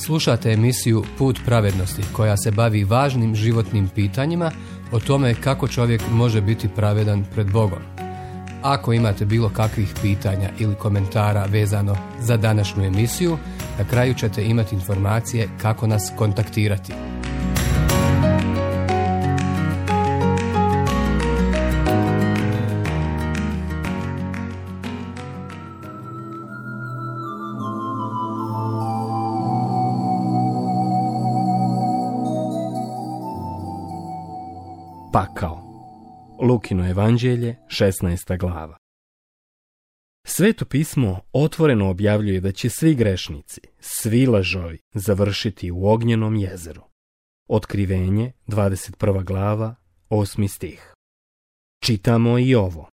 Slušate emisiju Put pravednosti koja se bavi važnim životnim pitanjima o tome kako čovjek može biti pravedan pred Bogom. Ako imate bilo kakvih pitanja ili komentara vezano za današnju emisiju, na kraju ćete imati informacije kako nas kontaktirati. Pakao. Lukino evanđelje, 16. glava. Sveto pismo otvoreno objavljuje da će svi grešnici, svi lažovi završiti u ognjenom jezeru. Otkrivenje, 21. glava, 8. stih. Čitamo i ovo.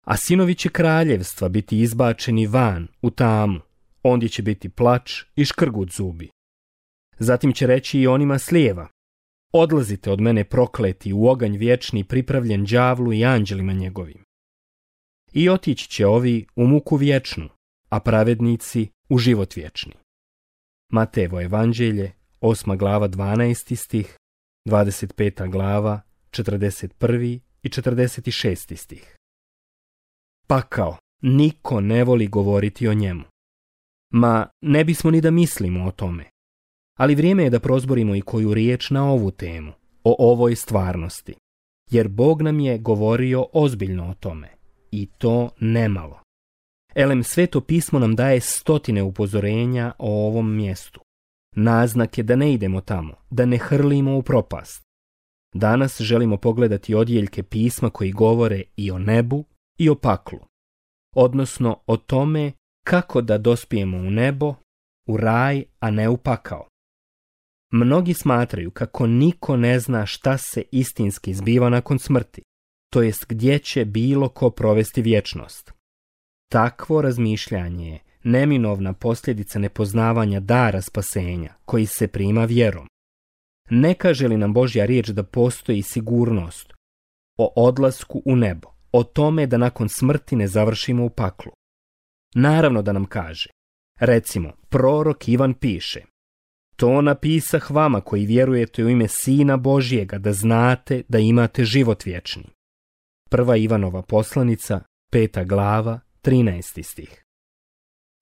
A sinovi će kraljevstva biti izbačeni van u tamu, ondje će biti plač i škrgut zubi. Zatim će reći i onima s lijeva: odlazite od mene prokleti u oganj vječni pripravljen đavlu i anđelima njegovim. I otići će ovi u muku vječnu, a pravednici u život vječni. Matejevo evanđelje, 8. glava, 12. stih, 25. glava, 41. i 46. stih. Pakao, niko ne voli govoriti o njemu. Ma, ne bismo ni da mislimo o tome. Ali vrijeme je da prozborimo i koju riječ na ovu temu, o ovoj stvarnosti. Jer Bog nam je govorio ozbiljno o tome. I to nemalo. Sveto pismo nam daje stotine upozorenja o ovom mjestu. Naznak je da ne idemo tamo, da ne hrlimo u propast. Danas želimo pogledati odjeljke pisma koji govore i o nebu i o paklu. Odnosno o tome kako da dospijemo u nebo, u raj, a ne u pakao. Mnogi smatraju kako niko ne zna šta se istinski zbiva nakon smrti, to jest gdje će bilo ko provesti vječnost. Takvo razmišljanje je neminovna posljedica nepoznavanja dara spasenja koji se prima vjerom. Ne kaže li nam Božja riječ da postoji sigurnost o odlasku u nebo, o tome da nakon smrti ne završimo u paklu? Naravno da nam kaže. Recimo, prorok Ivan piše: to napisah vama koji vjerujete u ime Sina Božjega, da znate da imate život vječni. Prva Ivanova poslanica, 5. glava, 13. stih.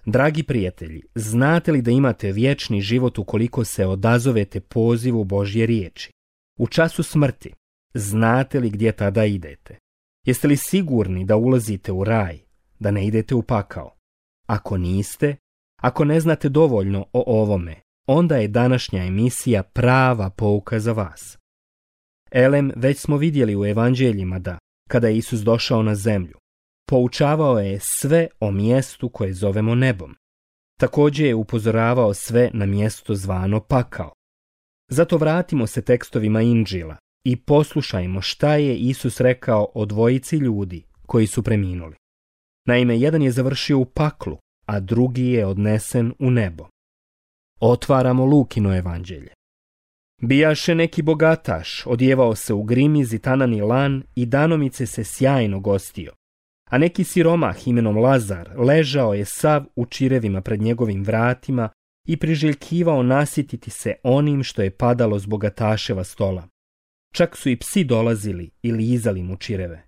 Dragi prijatelji, znate li da imate vječni život ukoliko se odazovete pozivu Božje riječi? U času smrti, znate li gdje tada idete? Jeste li sigurni da ulazite u raj, da ne idete u pakao? Ako niste, ako ne znate dovoljno o ovome, onda je današnja emisija prava pouka za vas. Već smo vidjeli u evanđeljima da, kada je Isus došao na zemlju, poučavao je sve o mjestu koje zovemo nebom. Također je upozoravao sve na mjesto zvano pakao. Zato vratimo se tekstovima Inđila i poslušajmo šta je Isus rekao o dvojici ljudi koji su preminuli. Naime, jedan je završio u paklu, a drugi je odnesen u nebo. Otvaramo Lukino evanđelje. Bijaše neki bogataš, odjevao se u grimiz i tanani lan i danomice se sjajno gostio. A neki siromah imenom Lazar ležao je sav u čirevima pred njegovim vratima i priželjkivao nasititi se onim što je padalo s bogataševa stola. Čak su i psi dolazili i lizali mu čireve.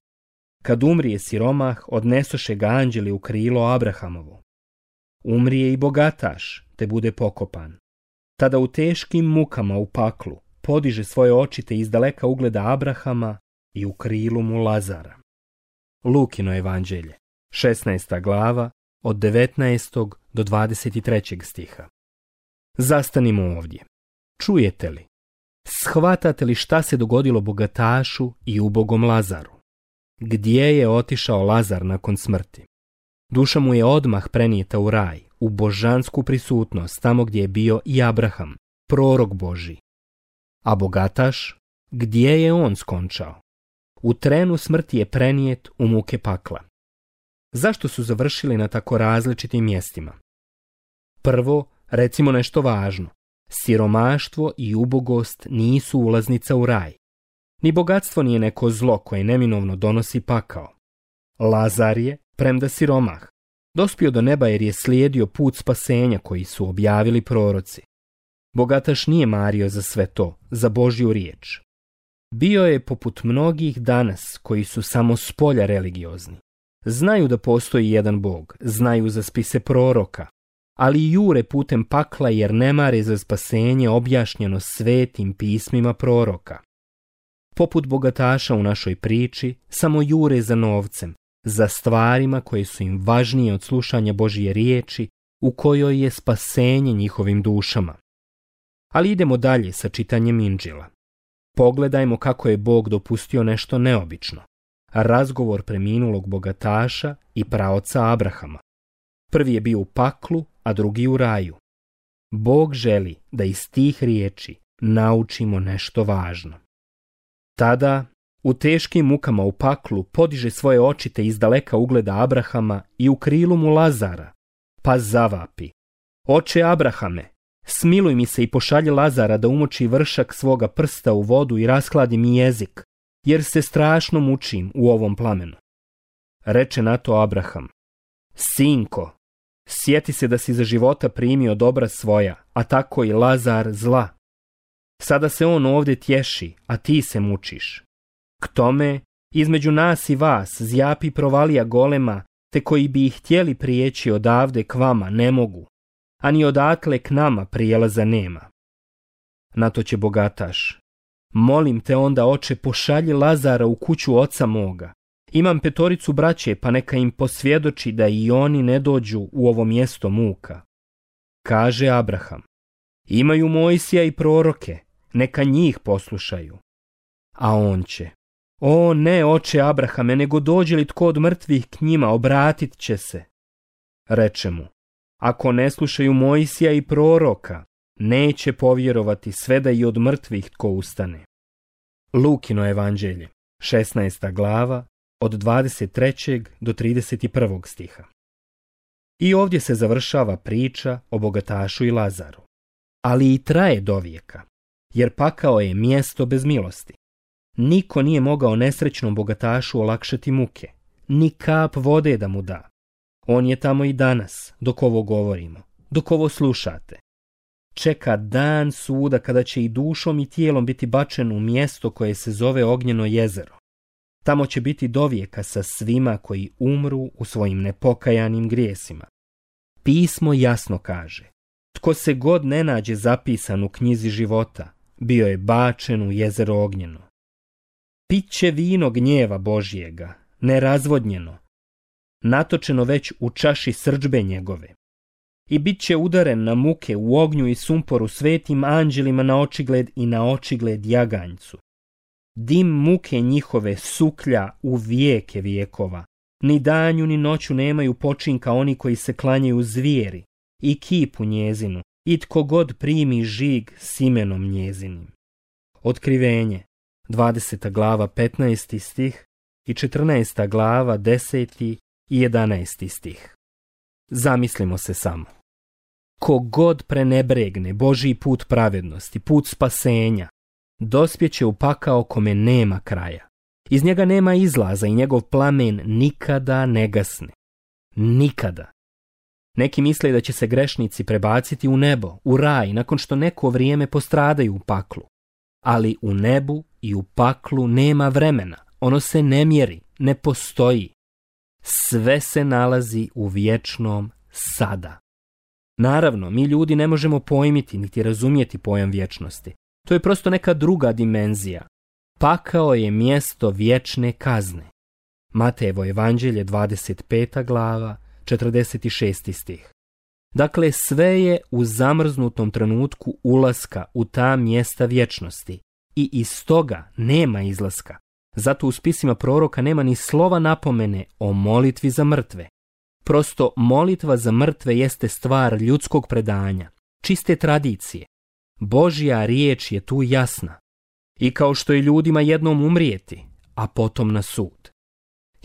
Kad umrije siromah, odnesoše ga anđeli u krilo Abrahamovo. Umrije i bogataš, te bude pokopan. Tada u teškim mukama u paklu podiže svoje oči te izdaleka ugleda Abrahama i u krilu mu Lazara. Lukino evanđelje, 16. glava, od 19. do 23. stiha. Zastanimo ovdje. Čujete li? Shvatate li šta se dogodilo bogatašu i ubogom Lazaru? Gdje je otišao Lazar nakon smrti? Duša mu je odmah prenijeta u raj, u božansku prisutnost, tamo gdje je bio i Abraham, prorok Božji. A bogataš, gdje je on skončao? U trenu smrti je prenijet u muke pakla. Zašto su završili na tako različitim mjestima? Prvo, recimo nešto važno. Siromaštvo i ubogost nisu ulaznica u raj. Ni bogatstvo nije neko zlo koje neminovno donosi pakao. Lazar je, premda siromah, dospio do neba jer je slijedio put spasenja koji su objavili proroci. Bogataš nije mario za sve to, za Božju riječ. Bio je poput mnogih danas koji su samo spolja religiozni. Znaju da postoji jedan Bog, znaju za spise proroka, ali jure putem pakla jer ne mare za spasenje objašnjeno svetim pismima proroka. Poput bogataša u našoj priči, samo jure za novcem, za stvarima koje su im važnije od slušanja Božje riječi, u kojoj je spasenje njihovim dušama. Ali idemo dalje sa čitanjem Inđila. Pogledajmo kako je Bog dopustio nešto neobično. Razgovor preminulog bogataša i praoca Abrahama. Prvi je bio u paklu, a drugi u raju. Bog želi da iz tih riječi naučimo nešto važno. Tada, u teškim mukama u paklu, podiže svoje oči te izdaleka ugleda Abrahama i u krilu mu Lazara, pa zavapi: Oče Abrahame, smiluj mi se i pošalji Lazara da umoči vršak svoga prsta u vodu i raskladi mi jezik, jer se strašno mučim u ovom plamenu. Reče na to Abraham: Sinko, sjeti se da si za života primio dobra svoja, a tako i Lazar zla. Sada se on ovdje tješi, a ti se mučiš. K tome, između nas i vas zjapi provalija golema, te koji bi ih htjeli prijeći odavde k vama ne mogu, a ni odatle k nama prijelaza nema. Na to će bogataš: Molim te onda, oče, pošalji Lazara u kuću oca moga. Imam 5 braće, pa neka im posvjedoči da i oni ne dođu u ovo mjesto muka. Kaže Abraham: Imaju Mojsija i proroke, neka njih poslušaju. A on će: O ne, oče Abrahame, nego dođe li tko od mrtvih k njima, obratit će se. Reče mu: Ako ne slušaju Mojsija i proroka, neće povjerovati sve da i od mrtvih tko ustane. Lukino evanđelje, 16. glava, od 23. do 31. stiha. I ovdje se završava priča o bogatašu i Lazaru. Ali i traje dovijeka, jer pakao je mjesto bez milosti. Niko nije mogao nesrećnom bogatašu olakšati muke, ni kap vode da mu da. On je tamo i danas, dok ovo govorimo, dok ovo slušate. Čeka dan suda kada će i dušom i tijelom biti bačen u mjesto koje se zove Ognjeno jezero. Tamo će biti dovijeka sa svima koji umru u svojim nepokajanim grijesima. Pismo jasno kaže: Tko se god ne nađe zapisan u knjizi života, bio je bačen u jezero Ognjeno. Pit će vino gnjeva Božjega, nerazvodnjeno, natočeno već u čaši srdžbe njegove. I bit će udaren na muke u ognju i sumporu svetim anđelima na očigled i na očigled jaganjcu. Dim muke njihove suklja u vijeke vijekova. Ni danju ni noću nemaju počinka oni koji se klanjaju zvijeri i kipu njezinu, i tko god primi žig s imenom njezinim. Otkrivenje, 20. glava 15. stih i 14. glava 10. i 11. stih. Zamislimo se samo. Ko god prenebregne Božji put pravednosti, put spasenja, dospjeće u pakao kome nema kraja. Iz njega nema izlaza i njegov plamen nikada ne gasne. Nikada. Neki misle da će se grešnici prebaciti u nebo, u raj, nakon što neko vrijeme postradaju u paklu. Ali u nebu i u paklu nema vremena. Ono se ne mjeri, ne postoji. Sve se nalazi u vječnom sada. Naravno, mi ljudi ne možemo pojmiti niti razumjeti pojam vječnosti. To je prosto neka druga dimenzija. Pakao je mjesto vječne kazne. Matejevo evanđelje, 25. glava, 46. stih. Dakle, sve je u zamrznutom trenutku ulaska u ta mjesta vječnosti i iz toga nema izlaska. Zato u spisima proroka nema ni slova napomene o molitvi za mrtve. Prosto molitva za mrtve jeste stvar ljudskog predanja, čiste tradicije. Božja riječ je tu jasna. I kao što je ljudima jednom umrijeti, a potom na sud.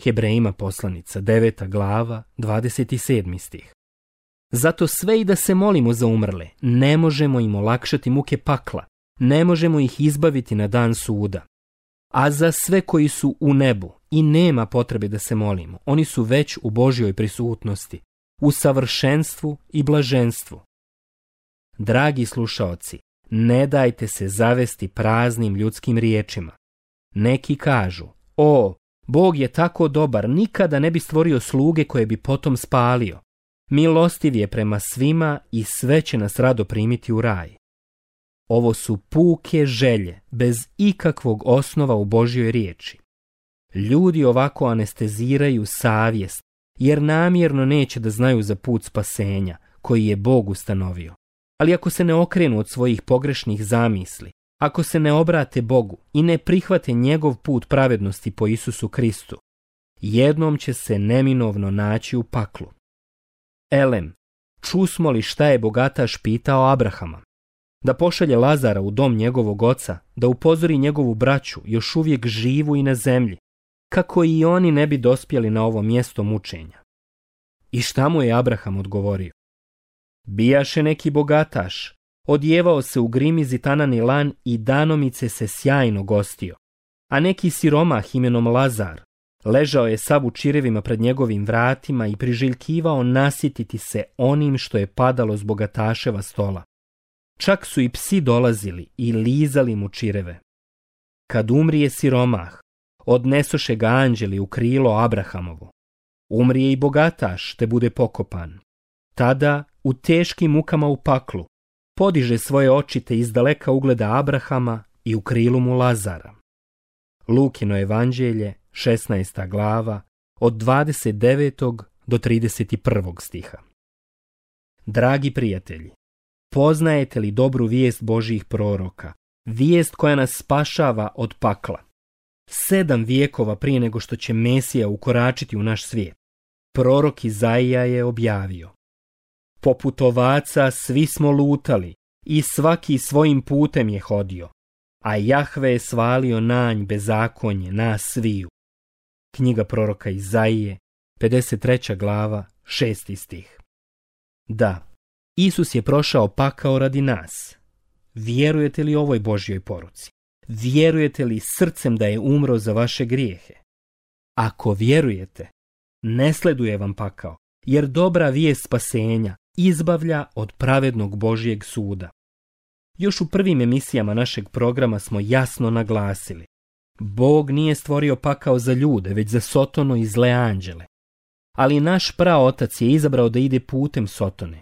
Hebrejima poslanica, 9. glava, 27. stih. Zato sve i da se molimo za umrle, ne možemo im olakšati muke pakla, ne možemo ih izbaviti na dan suda. A za sve koji su u nebu i nema potrebe da se molimo, oni su već u Božjoj prisutnosti, u savršenstvu i blaženstvu. Dragi slušaoci, ne dajte se zavesti praznim ljudskim riječima. Neki kažu, o, Bog je tako dobar, nikada ne bi stvorio sluge koje bi potom spalio. Milostiv je prema svima i sve će nas rado primiti u raj. Ovo su puke želje, bez ikakvog osnova u Božjoj riječi. Ljudi ovako anesteziraju savjest, jer namjerno neće da znaju za put spasenja, koji je Bog ustanovio. Ali ako se ne okrenu od svojih pogrešnih zamisli, ako se ne obrate Bogu i ne prihvate njegov put pravednosti po Isusu Kristu, jednom će se neminovno naći u paklu. Elem, čusmo li šta je bogataš pitao Abrahama? Da pošalje Lazara u dom njegovog oca, da upozori njegovu braću, još uvijek živu i na zemlji, kako i oni ne bi dospjeli na ovo mjesto mučenja. I šta mu je Abraham odgovorio? Bijaše neki bogataš, odjevao se u grimizi tanani lan i danomice se sjajno gostio, a neki siromah imenom Lazar ležao je sav u čirevima pred njegovim vratima i priželjkivao nasititi se onim što je padalo s bogataševa stola. Čak su i psi dolazili i lizali mu čireve. Kad umrije siromah, odnesoše ga anđeli u krilo Abrahamovo. Umrije i bogataš, te bude pokopan. Tada, u teškim mukama u paklu, podiže svoje oči te izdaleka ugleda Abrahama i u krilu mu Lazara. Lukino evanđelje, 16. glava, od 29. do 31. stiha. Dragi prijatelji, poznajete li dobru vijest Božjih proroka, vijest koja nas spašava od pakla? 7 vijekova prije nego što će Mesija ukoračiti u naš svijet, prorok Izaija je objavio: poput ovaca svi smo lutali i svaki svojim putem je hodio, a Jahve je svalio na nj bezakonje nas sviju. Knjiga proroka Izaije, 53. glava, 6. stih. Da, Isus je prošao pakao radi nas. Vjerujete li ovoj Božjoj poruci? Vjerujete li srcem da je umro za vaše grijehe? Ako vjerujete, ne sleduje vam pakao, jer dobra vijest spasenja izbavlja od pravednog Božjeg suda. Još u prvim emisijama našeg programa smo jasno naglasili: Bog nije stvorio pakao za ljude, već za Sotonu i zle anđele. Ali naš praotac je izabrao da ide putem Sotone.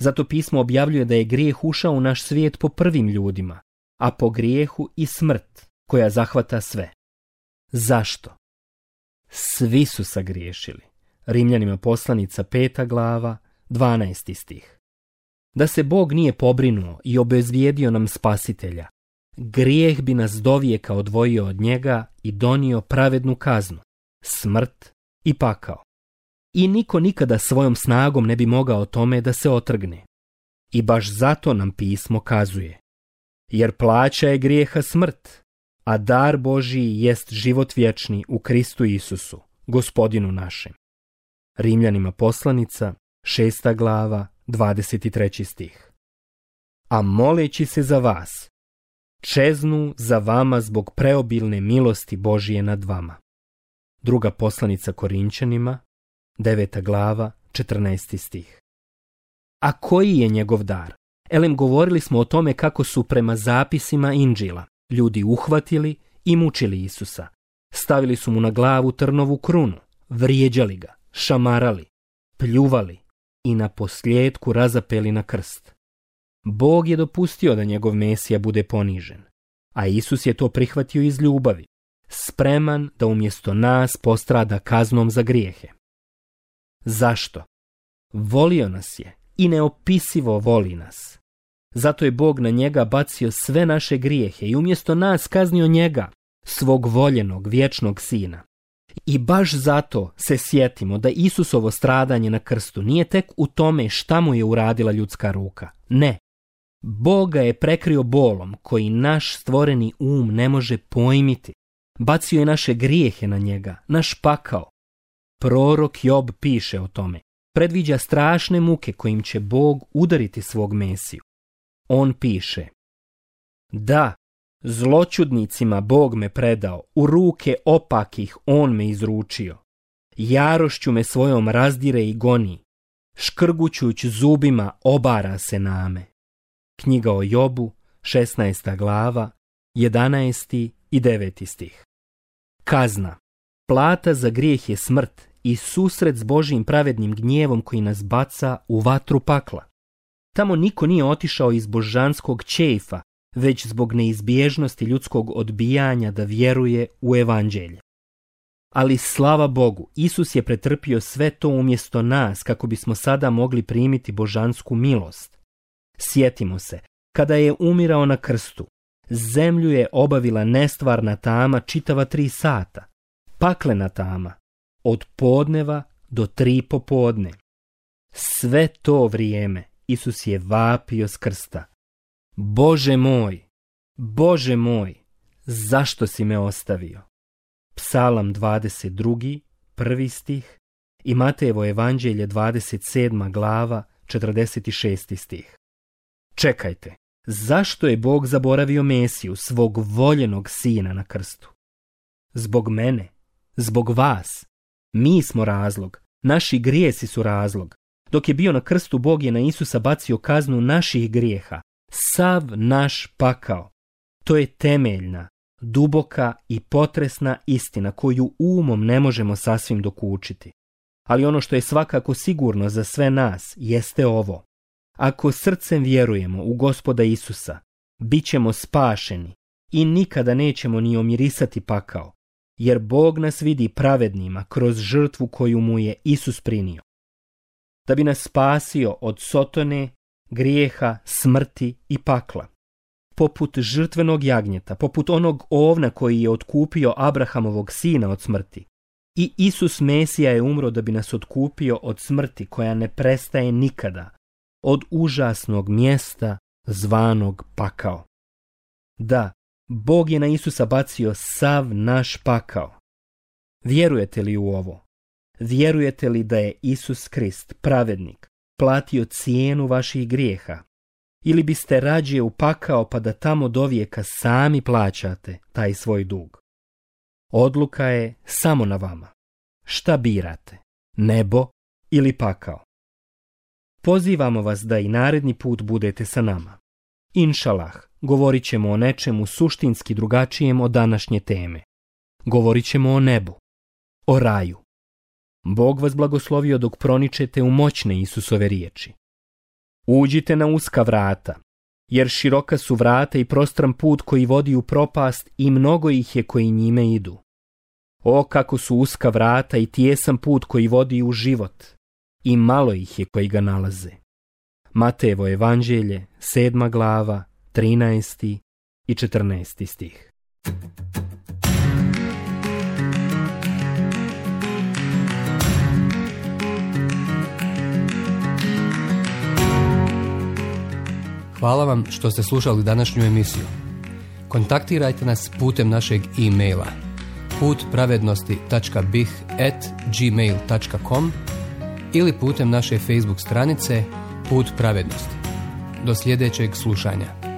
Zato pismo objavljuje da je grijeh ušao u naš svijet po prvim ljudima, a po grijehu i smrt, koja zahvata sve. Zašto? Svi su sagriješili. Rimljanima poslanica 5. glava, 12. stih. Da se Bog nije pobrinuo i obezvijedio nam spasitelja, grijeh bi nas dovijeka odvojio od njega i donio pravednu kaznu, smrt i pakao. I niko nikada svojom snagom ne bi mogao tome da se otrgne. I baš zato nam pismo kazuje: jer plaća je grijeha smrt, a dar Božiji jest život vječni u Kristu Isusu, Gospodinu našem. Rimljanima poslanica, 6. glava, 23. stih. A moleći se za vas, čeznu za vama zbog preobilne milosti Božije nad vama. Druga poslanica Korinčanima, 9. glava, 14. stih. A koji je njegov dar? Elem, govorili smo o tome kako su prema zapisima Inđila ljudi uhvatili i mučili Isusa. Stavili su mu na glavu trnovu krunu, vrijeđali ga, šamarali, pljuvali i na posljedku razapeli na krst. Bog je dopustio da njegov Mesija bude ponižen, a Isus je to prihvatio iz ljubavi, spreman da umjesto nas postrada kaznom za grijehe. Zašto? Volio nas je i neopisivo voli nas. Zato je Bog na njega bacio sve naše grijehe i umjesto nas kaznio njega, svog voljenog vječnog sina. I baš zato se sjetimo da Isusovo stradanje na krstu nije tek u tome šta mu je uradila ljudska ruka. Ne. Bog ga je prekrio bolom koji naš stvoreni um ne može pojmiti. Bacio je naše grijehe na njega, naš pakao. Prorok Job piše o tome. Predviđa strašne muke kojim će Bog udariti svog Mesiju. On piše: da, zloćudnicima Bog me predao, u ruke opakih on me izručio. Jarošću me svojom razdire i goni, škrgućuć zubima obara se name. Knjiga o Jobu, 16. glava, 11. i 9. stih. Kazna. Plata za grijeh je smrt i susret s Božjim pravednim gnjevom koji nas baca u vatru pakla. Tamo niko nije otišao iz božanskog čeifa, već zbog neizbježnosti ljudskog odbijanja da vjeruje u evanđelje. Ali slava Bogu, Isus je pretrpio sve to umjesto nas kako bismo sada mogli primiti božansku milost. Sjetimo se, kada je umirao na krstu, zemlju je obavila nestvarna tama čitava 3 sata, paklena tama, od podneva do 3 popodne. Sve to vrijeme Isus je vapio s krsta. Bože moj, zašto si me ostavio? Psalam 22, 1. stih i Matejevo evanđelje 27. glava, 46. stih. Čekajte, zašto je Bog zaboravio Mesiju, svog voljenog sina na krstu? Zbog mene, zbog vas. Mi smo razlog, naši grijesi su razlog. Dok je bio na krstu, Bog je na Isusa bacio kaznu naših grijeha, sav naš pakao. To je temeljna, duboka i potresna istina koju umom ne možemo sasvim dokučiti. Ali ono što je svakako sigurno za sve nas jeste ovo. Ako srcem vjerujemo u Gospoda Isusa, bit ćemo spašeni i nikada nećemo ni omirisati pakao, jer Bog nas vidi pravednima kroz žrtvu koju mu je Isus prinio. Da bi nas spasio od sotone, grijeha, smrti i pakla. Poput žrtvenog jagnjeta, poput onog ovna koji je otkupio Abrahamovog sina od smrti. I Isus Mesija je umro da bi nas otkupio od smrti koja ne prestaje nikada, od užasnog mjesta zvanog pakao. Da, Bog je na Isusa bacio sav naš pakao. Vjerujete li u ovo? Vjerujete li da je Isus Krist, pravednik, platio cijenu vaših grijeha? Ili biste rađe upakao pa da tamo dovijeka sami plaćate taj svoj dug? Odluka je samo na vama. Šta birate? Nebo ili pakao? Pozivamo vas da i naredni put budete sa nama. Inšalah, govorit ćemo o nečemu suštinski drugačijem od današnje teme. Govorit ćemo o nebu, o raju. Bog vas blagoslovio dok proničete u moćne Isusove riječi. Uđite na uska vrata, jer široka su vrata i prostran put koji vodi u propast i mnogo ih je koji njime idu. O, kako su uska vrata i tijesan put koji vodi u život, i malo ih je koji ga nalaze. Matejevo evanđelje, 7. glava, 13. i 14. stih. Hvala vam što ste slušali današnju emisiju. Kontaktirajte nas putem našeg e-maila putpravednosti.bih@gmail.com ili putem naše Facebook stranice Put pravednosti. Do sljedećeg slušanja.